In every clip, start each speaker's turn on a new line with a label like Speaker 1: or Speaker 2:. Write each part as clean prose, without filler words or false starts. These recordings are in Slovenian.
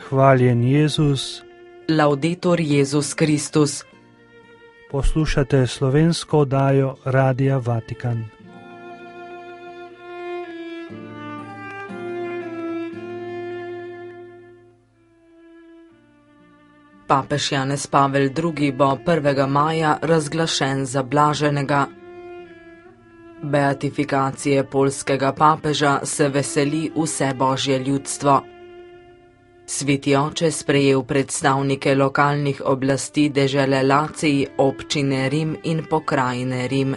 Speaker 1: Hvaljen Jezus.
Speaker 2: Laudetur Jezus Kristus.
Speaker 1: Poslušate slovensko oddajo Radia Vatikan.
Speaker 2: Papež Janez Pavel II. Bo 1. maja razglašen za blaženega. Beatifikacije poljskega papeža se veseli vse božje ljudstvo. Sveti oče sprejel predstavnike lokalnih oblasti dežele Lacij, občine Rim in pokrajine Rim.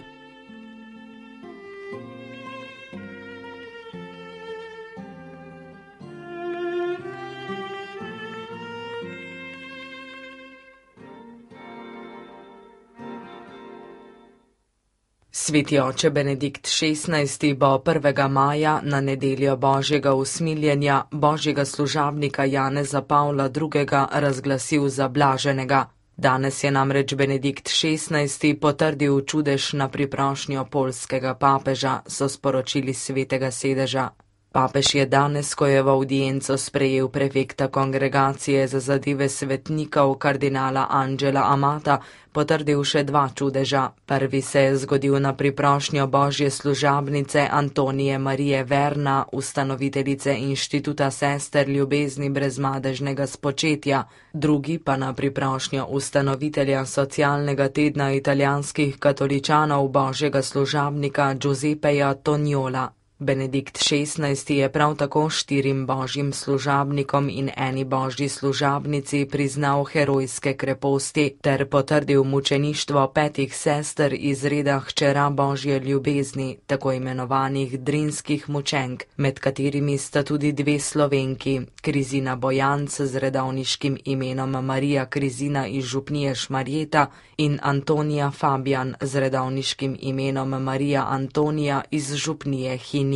Speaker 2: Sveti oče Benedikt XVI. Bo 1. maja na nedeljo božjega usmiljenja božjega služabnika Janeza Pavla II. Razglasil za blaženega. Danes je namreč Benedikt XVI. Potrdil čudež na priprošnjo poljskega papeža, so sporočili svetega sedeža. Papež je danes, ko je v avdienco sprejel prefekta kongregacije za zadeve svetnikov kardinala Angela Amata, potrdil še dva čudeža. Prvi se je zgodil na priprošnjo božje služabnice Antonije Marije Verna, ustanoviteljice inštituta sester ljubezni brezmadežnega spočetja, drugi pa na priprošnjo ustanovitelja socialnega tedna italijanskih katoličanov božjega služabnika Giuseppeja Toniola. Benedikt XVI. Je prav tako 4 božjim služabnikom in eni božji služabnici priznal herojske kreposti ter potrdil mučeništvo 5 sester iz reda hčera božje ljubezni, tako imenovanih drinskih mučenk, med katerimi sta tudi 2 Slovenki, Krizina Bojanc z redovniškim imenom Marija Krizina iz župnije Šmarjeta in Antonija Fabijan z redovniškim imenom Marija Antonija iz župnije Hin.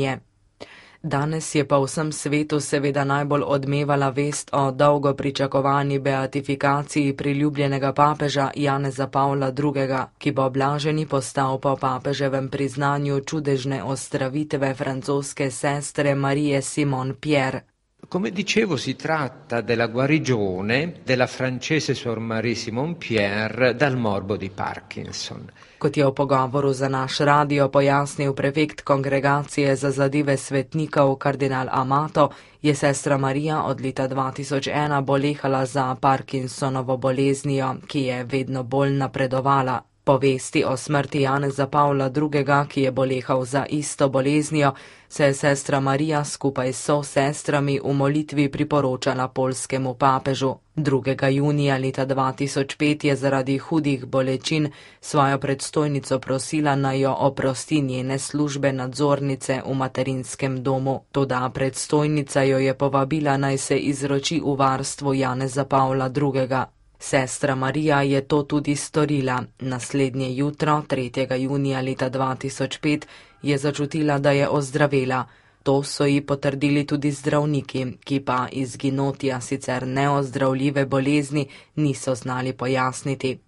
Speaker 2: Danes je pa v vsem svetu seveda najbolj odmevala vest o dolgo pričakovani beatifikaciji priljubljenega papeža Janeza Pavla II., ki bo blaženi postal po papeževem priznanju čudežne ozdravitve francoske sestre Marije Simon Pierre.
Speaker 3: Come dicevo, si tratta della guarigione della francese Sor Marie Simon Pierre dal morbo di Parkinson.
Speaker 2: Kot je v pogovoru za naš radio pojasnil prefekt kongregacije za zadeve svetnikov kardinal Amato, je sestra Marija od leta 2001 bolehala za Parkinsonovo boleznijo, ki je vedno bolj napredovala. Po vesti o smrti Janeza Pavla II., ki je bolehal za isto boleznijo, se je sestra Marija skupaj s sestrami v molitvi priporočala poljskemu papežu. 2. junija leta 2005 je zaradi hudih bolečin svojo predstojnico prosila, naj jo oprosti njene službe nadzornice v materinskem domu. Toda predstojnica jo je povabila, naj se izroči v varstvo Janeza Pavla II. Sestra Marija je to tudi storila. Naslednje jutro, 3. junija leta 2005, je začutila, da je ozdravela. To so ji potrdili tudi zdravniki, ki pa izginotja sicer neozdravljive bolezni niso znali pojasniti.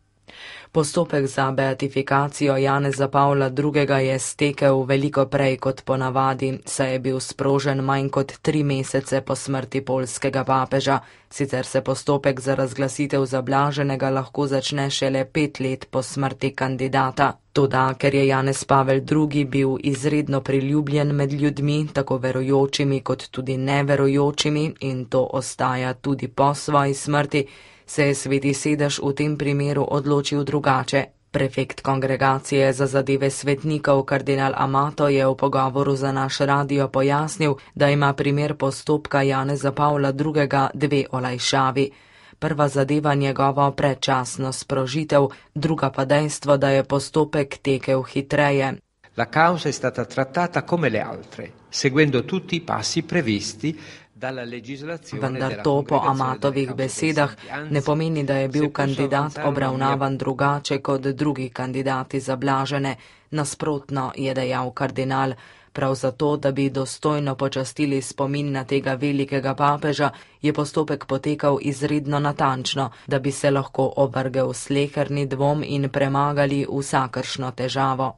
Speaker 2: Postopek za beatifikacijo Janeza Pavla II. Je stekel veliko prej kot ponavadi, saj je bil sprožen manj kot 3 mesece po smrti poljskega papeža, sicer se postopek za razglasitev za blaženega lahko začne šele 5 let po smrti kandidata. Toda, ker je Janez Pavel II. Bil izredno priljubljen med ljudmi, tako verujočimi kot tudi neverujočimi, in to ostaja tudi po svoji smrti, se je sveti sedež v tem primeru odločil drugače. Prefekt kongregacije za zadeve svetnikov kardinal Amato je v pogovoru za naš radio pojasnil, da ima primer postopka Janeza Pavla II. 2 olajšavi. Prva zadeva njegovo predčasno sprožitev, druga pa dejstvo, da je postopek tekel hitreje.
Speaker 3: La causa è stata trattata come le altre, seguendo tutti i passi previsti.
Speaker 2: Vendar to po Amatovih besedah ne pomeni, da je bil kandidat obravnavan drugače kot drugi kandidati za blažene. Nasprotno, je dejal kardinal, prav zato, da bi dostojno počastili spomin na tega velikega papeža, je postopek potekal izredno natančno, da bi se lahko ovrgel sleherni dvom in premagali vsakršno težavo.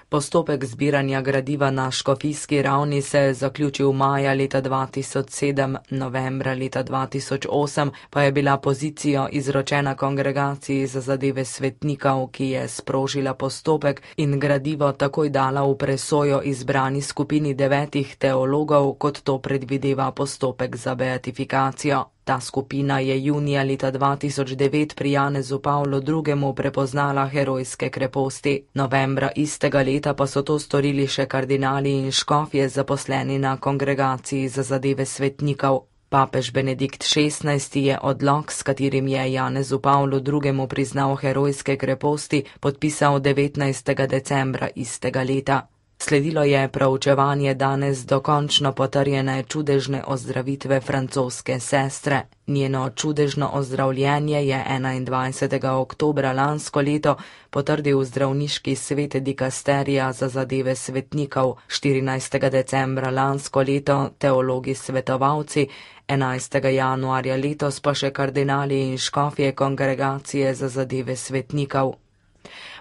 Speaker 2: Postopek zbiranja gradiva na škofijski ravni se je zaključil maja leta 2007, novembra leta 2008 pa je bila pozicija izročena Kongregaciji za zadeve svetnikov, ki je sprožila postopek in gradivo takoj dala v presojo izbrani skupini 9 teologov, kot to predvideva postopek za beatifikacijo. Ta skupina je junija leta 2009 pri Janezu Pavlu II. Prepoznala herojske kreposti. Novembra istega leta pa so to storili še kardinali in škofje zaposleni na Kongregaciji za zadeve svetnikov. Papež Benedikt XVI. Je odlok, s katerim je Janezu Pavlu II. Priznal herojske kreposti, podpisal 19. decembra istega leta. Sledilo je proučevanje danes dokončno potrjene čudežne ozdravitve francoske sestre. Njeno čudežno ozdravljenje je 21. oktobra lansko leto potrdil zdravniški svet dikasterija za zadeve svetnikov, 14. decembra lansko leto teologi svetovalci, 11. januarja letos pa še kardinali in škofje Kongregacije za zadeve svetnikov.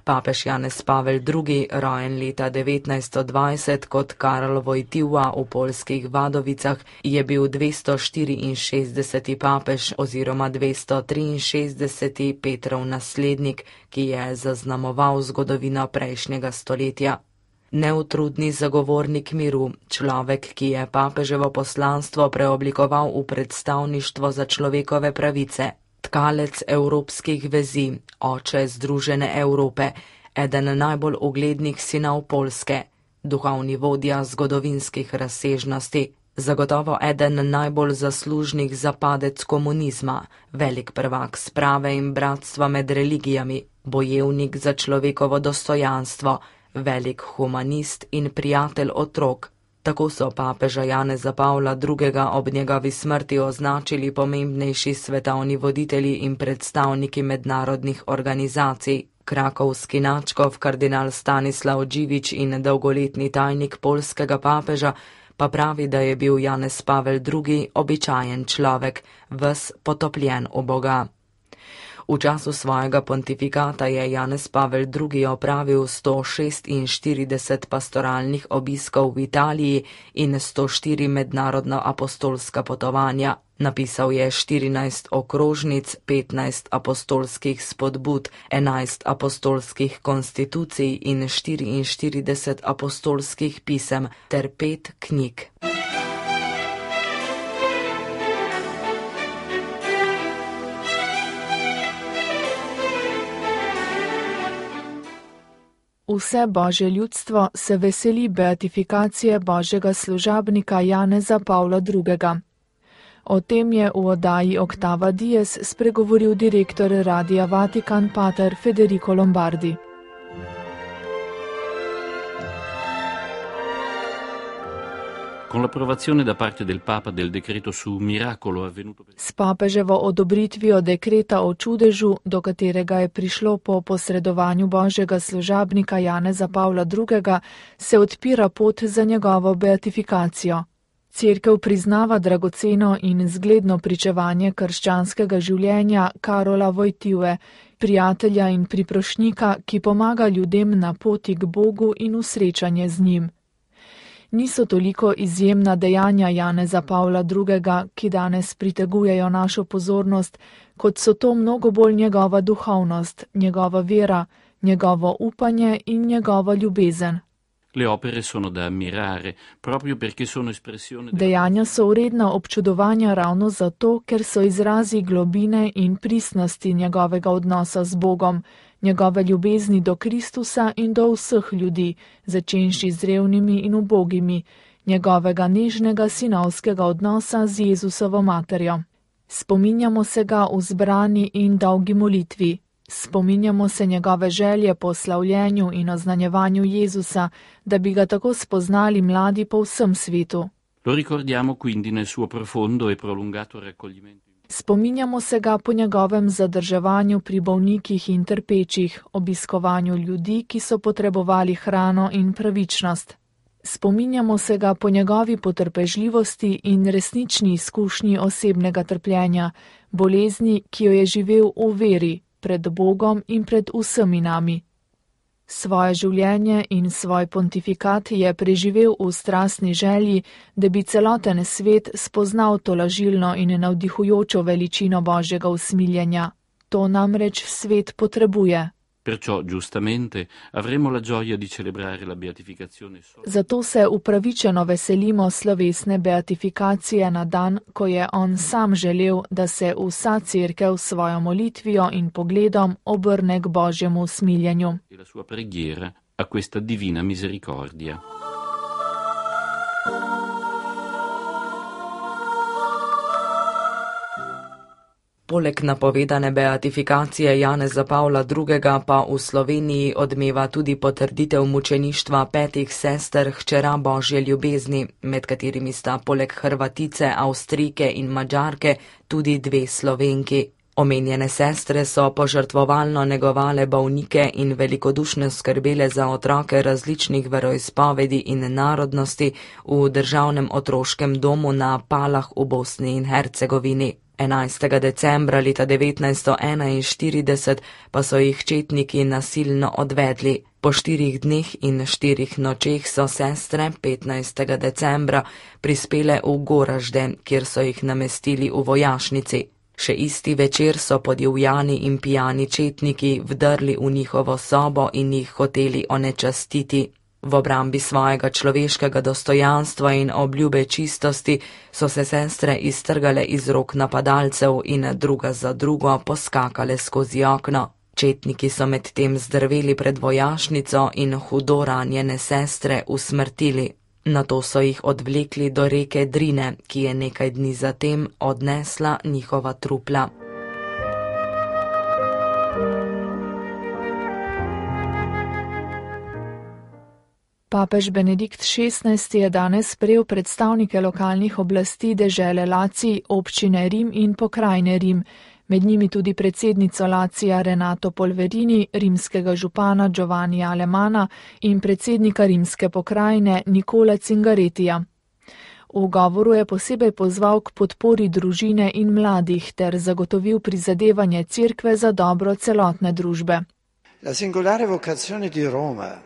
Speaker 2: Papež Janez Pavel II., rojen leta 1920 kot Karl Wojtyła v poljskih Vadovicah, je bil 264. papež oziroma 263. Petrov naslednik, ki je zaznamoval zgodovino prejšnjega stoletja. Neutrudni zagovornik miru, človek, ki je papeževo poslanstvo preoblikoval v predstavništvo za človekove pravice. Tkalec evropskih vezi, oče Združene Evrope, eden najbolj uglednih sinov Poljske, duhovni vodja zgodovinskih razsežnosti, zagotovo eden najbolj zaslužnih za padec komunizma, velik prvak sprave in bratstva med religijami, bojevnik za človekovo dostojanstvo, velik humanist in prijatelj otrok. Tako so papeža Janeza Pavla II. Ob njegovi smrti označili pomembnejši svetovni voditelji in predstavniki mednarodnih organizacij. Krakovski nadškof kardinal Stanislav Dživič in dolgoletni tajnik poljskega papeža pa pravi, da je bil Janez Pavel II. Običajen človek, ves potopljen v Boga. V času svojega pontifikata je Janez Pavel II. Opravil 146 pastoralnih obiskov v Italiji in 104 mednarodna apostolska potovanja. Napisal je 14 okrožnic, 15 apostolskih spodbud, 11 apostolskih konstitucij in 44 apostolskih pisem ter 5 knjig.
Speaker 4: Vse božje ljudstvo se veseli beatifikacije božjega služabnika Janeza Pavla II. O tem je v oddaji Octava Dies spregovoril direktor Radia Vatikan pater Federico Lombardi.
Speaker 5: Con l'approvazione da parte del Papa del decreto su miracolo avvenuto
Speaker 4: S papeževo odobritvijo dekreta o čudežu, do katerega je prišlo po posredovanju božjega služabnika Janeza Pavla II., se odpira pot za njegovo beatifikacijo. Cerkev priznava dragoceno in zgledno pričevanje krščanskega življenja Karola Wojtyły, prijatelja in priprošnjika, ki pomaga ljudem na poti k Bogu in v srečanje z njim. Niso toliko izjemna dejanja Janeza Pavla II., ki danes pritegujejo našo pozornost, kot so to mnogo bolj njegova duhovnost, njegova vera, njegovo upanje in njegova ljubezen.
Speaker 5: Le opere sono da ammirare, proprio perché sono espressione
Speaker 4: Dejanja so vredna občudovanja ravno zato, ker so izrazi globine in pristnosti njegovega odnosa z Bogom, njegove ljubezni do Kristusa in do vseh ljudi, začenši z revnimi in ubogimi, njegovega nežnega sinovskega odnosa z Jezusovo materjo. Spominjamo se ga v zbrani in dolgi molitvi. Spominjamo se njegove želje po slavljenju in oznanjevanju Jezusa, da bi ga tako spoznali mladi po vsem svetu.
Speaker 5: Lo ricordiamo quindi nel suo profondo e prolungato raccoglimento.
Speaker 4: Spominjamo se ga po njegovem zadrževanju pri bolnikih in trpečih, obiskovanju ljudi, ki so potrebovali hrano in pravičnost. Spominjamo se ga po njegovi potrpežljivosti in resnični izkušnji osebnega trpljenja, bolezni, ki jo je živel v veri, pred Bogom in pred vsemi nami. Svoje življenje in svoj pontifikat je preživel v strastni želji, da bi celoten svet spoznal tolažilno in navdihujočo veličino Božjega usmiljenja. To namreč svet potrebuje.
Speaker 5: Perciò, giustamente, avremo la gioia di celebrare la beatificazione.
Speaker 4: Zato se upravičeno veselimo slovesne beatifikacije na dan, ko je on sam želel, da se vsa cerkev s svojo molitvijo in pogledom obrne k Božjemu usmiljenju.
Speaker 5: E la sua preghiera a questa divina misericordia.
Speaker 2: Poleg napovedane beatifikacije Janeza Pavla II. Pa v Sloveniji odmeva tudi potrditev mučeništva 5 sester hčera Božje ljubezni, med katerimi sta poleg Hrvatice, Avstrijke in Madžarke tudi 2 Slovenki. Omenjene sestre so požrtvovalno negovale bolnike in velikodušno skrbele za otroke različnih veroizpovedi in narodnosti v državnem otroškem domu na Palah v Bosni in Hercegovini. 11. decembra leta 1941 pa so jih četniki nasilno odvedli. Po 4 dneh in 4 nočeh so sestre 15. decembra prispele v Goražde, kjer so jih namestili v vojašnici. Še isti večer so podivjani in pijani četniki vdrli v njihovo sobo in jih hoteli onečastiti. V obrambi svojega človeškega dostojanstva in obljube čistosti so se sestre iztrgale iz rok napadalcev in druga za drugo poskakale skozi okno. Četniki so medtem zdrveli pred vojašnico in hudo ranjene sestre usmrtili. Nato so jih odvlekli do reke Drine, ki je nekaj dni zatem odnesla njihova trupla.
Speaker 4: Papež Benedikt XVI je danes sprejel predstavnike lokalnih oblasti dežele Lacij, občine Rim in pokrajine Rim, med njimi tudi predsednico Lacija Renato Polverini, rimskega župana Giovannija Alemana in predsednika rimske pokrajine Nicola Cingarettija. V govoru je posebej pozval k podpori družine in mladih ter zagotovil prizadevanje cerkve za dobro celotne družbe.
Speaker 6: La singolare vocazione di Roma.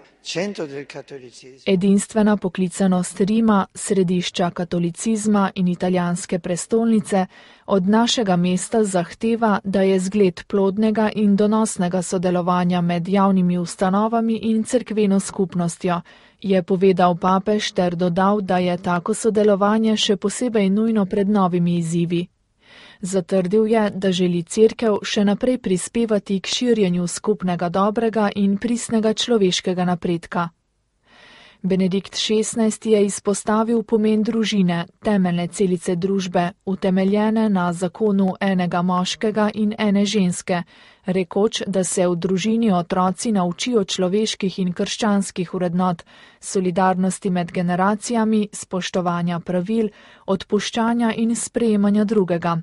Speaker 4: Edinstvena poklicanost Rima, središča katolicizma in italijanske prestolnice, od našega mesta zahteva, da je zgled plodnega in donosnega sodelovanja med javnimi ustanovami in cerkveno skupnostjo, je povedal papež ter dodal, da je tako sodelovanje še posebej nujno pred novimi izzivi. Zatrdil je, da želi cerkev še naprej prispevati k širjenju skupnega dobrega in pristnega človeškega napredka. Benedikt XVI je izpostavil pomen družine, temeljne celice družbe, utemeljene na zakonu enega moškega in ene ženske, rekoč, da se v družini otroci naučijo človeških in krščanskih vrednot, solidarnosti med generacijami, spoštovanja pravil, odpuščanja in sprejemanja drugega.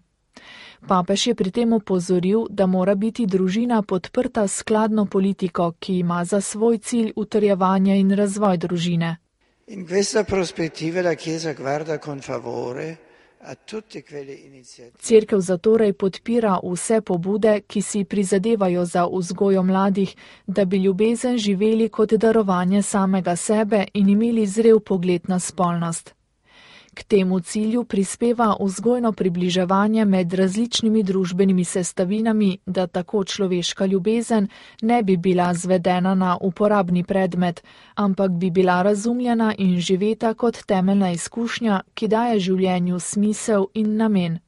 Speaker 4: Papež je pri tem opozoril, da mora biti družina podprta s skladno politiko, ki ima za svoj cilj utrjevanje in razvoj družine.
Speaker 6: In questa prospettiva la Chiesa guarda con favore a tutte quelle iniziative.
Speaker 4: Cerkev zatorej podpira vse pobude, ki si prizadevajo za vzgojo mladih, da bi ljubezen živeli kot darovanje samega sebe in imeli zrel pogled na spolnost. K temu cilju prispeva vzgojno približevanje med različnimi družbenimi sestavinami, da tako človeška ljubezen ne bi bila zvedena na uporabni predmet, ampak bi bila razumljena in živeta kot temeljna izkušnja, ki daje življenju smisel in namen.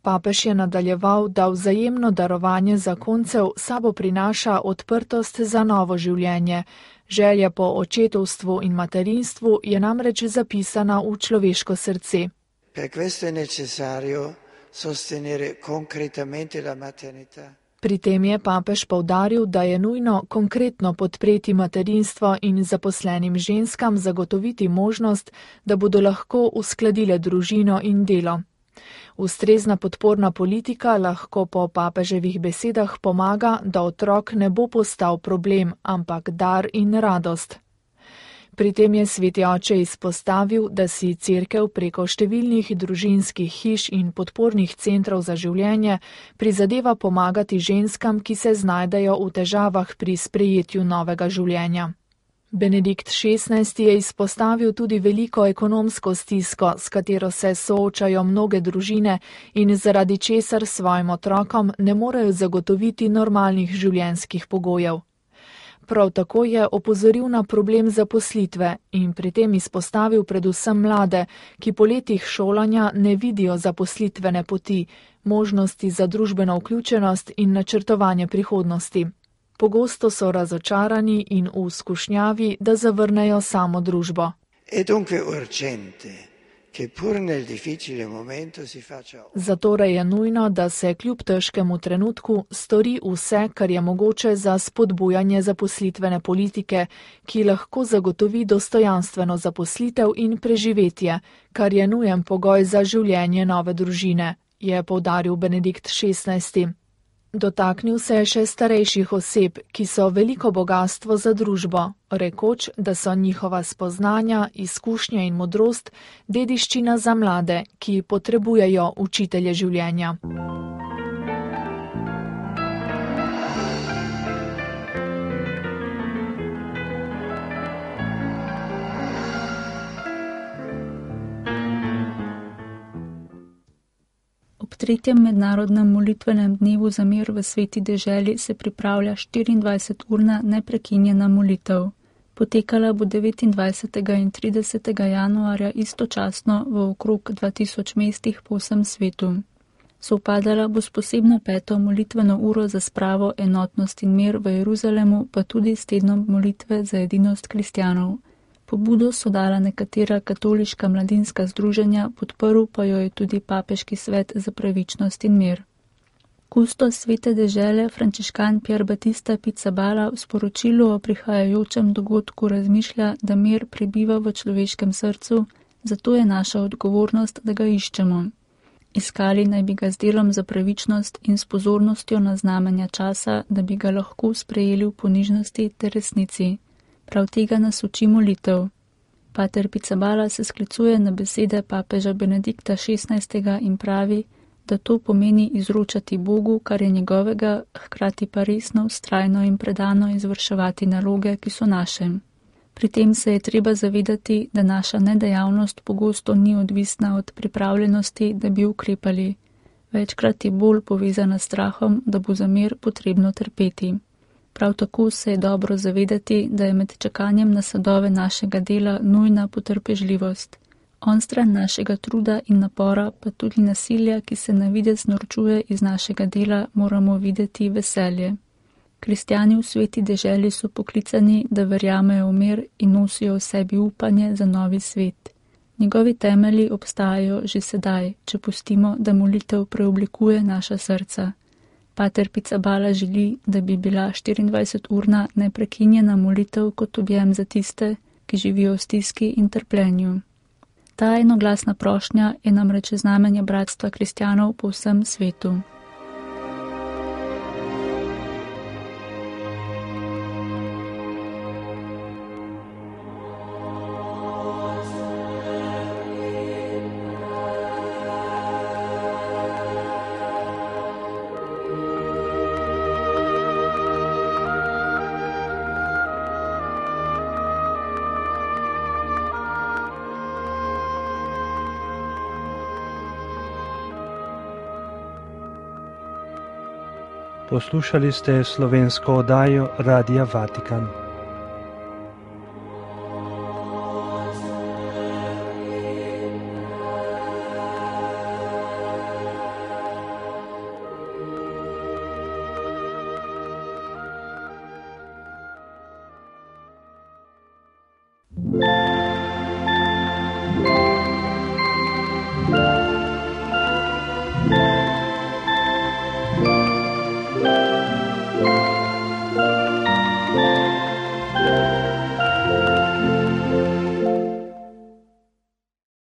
Speaker 4: Papež je nadaljeval, da vzajemno darovanje zakoncev sabo prinaša odprtost za novo življenje. Želja po očetovstvu in materinstvu je namreč zapisana v človeško srce.
Speaker 6: Per questo è necessario sostenere concretamente la maternità.
Speaker 4: Pri tem je papež poudaril, da je nujno konkretno podpreti materinstvo in zaposlenim ženskam zagotoviti možnost, da bodo lahko uskladile družino in delo. Ustrezna podporna politika lahko po papeževih besedah pomaga, da otrok ne bo postal problem, ampak dar in radost. Pri tem je sveti oče izpostavil, da si cerkev preko številnih družinskih hiš in podpornih centrov za življenje prizadeva pomagati ženskam, ki se znajdejo v težavah pri sprejetju novega življenja. Benedikt XVI je izpostavil tudi veliko ekonomsko stisko, s katero se soočajo mnoge družine in zaradi česar svojim otrokom ne morejo zagotoviti normalnih življenjskih pogojev. Prav tako je opozoril na problem zaposlitve in pri tem izpostavil predvsem mlade, ki po letih šolanja ne vidijo zaposlitvene poti, možnosti za družbeno vključenost in načrtovanje prihodnosti. Pogosto so razočarani in v skušnjavi, da zavrnejo samo družbo. Zatorej je nujno, da se kljub težkemu trenutku stori vse, kar je mogoče za spodbujanje zaposlitvene politike, ki lahko zagotovi dostojanstveno zaposlitev in preživetje, kar je nujen pogoj za življenje nove družine, je poudaril Benedikt XVI. Dotaknil se je še starejših oseb, ki so veliko bogastvo za družbo, rekoč, da so njihova spoznanja, izkušnje in modrost dediščina za mlade, ki potrebujejo učitelje življenja.
Speaker 7: Ob 3. mednarodnem molitvenem dnevu za mir v Sveti deželi se pripravlja 24-urna neprekinjena molitev. Potekala bo 29. in 30. januarja istočasno v okrog 2000 mestih po vsem svetu. Sovpadala bo s posebno 5. molitveno uro za spravo, enotnost in mir v Jeruzalemu, pa tudi s tednom molitve za edinost kristjanov. Pobudo so dala nekatera katoliška mladinska združenja, podprl pa jo je tudi Papeški svet za pravičnost in mir. Kustos Svete dežele frančiškan Pier Battista Pizzaballa v sporočilu o prihajajočem dogodku razmišlja, da mir prebiva v človeškem srcu, zato je naša odgovornost, da ga iščemo. Iskali naj bi ga z delom za pravičnost in s pozornostjo na znamenja časa, da bi ga lahko sprejeli v ponižnosti ter resnici. Prav tega nas uči molitev. Pater Pizzaballa se sklicuje na besede papeža Benedikta XVI. In pravi, da to pomeni izročati Bogu, kar je njegovega, hkrati pa resno, vztrajno in predano izvrševati naloge, ki so naše. Pri tem se je treba zavedati, da naša nedejavnost pogosto ni odvisna od pripravljenosti, da bi ukrepali. Večkrat je bolj povezana s strahom, da bo za mir potrebno trpeti. Prav tako se je dobro zavedati, da je med čakanjem na sadove našega dela nujna potrpežljivost. Onstran našega truda in napora, pa tudi nasilja, ki se na videz norčuje iz našega dela, moramo videti veselje. Kristjani v Sveti deželi so poklicani, da verjamejo v mir in nosijo v sebi upanje za novi svet. Njegovi temelji obstajajo že sedaj, če pustimo, da molitev preoblikuje naša srca. Pater Pizzaballa želi, da bi bila 24-urna neprekinjena molitev kot objem za tiste, ki živijo v stiski in trpljenju. Ta enoglasna prošnja je namreč znamenje bratstva kristjanov po vsem svetu.
Speaker 1: Poslušali ste slovensko oddajo Radia Vatikan.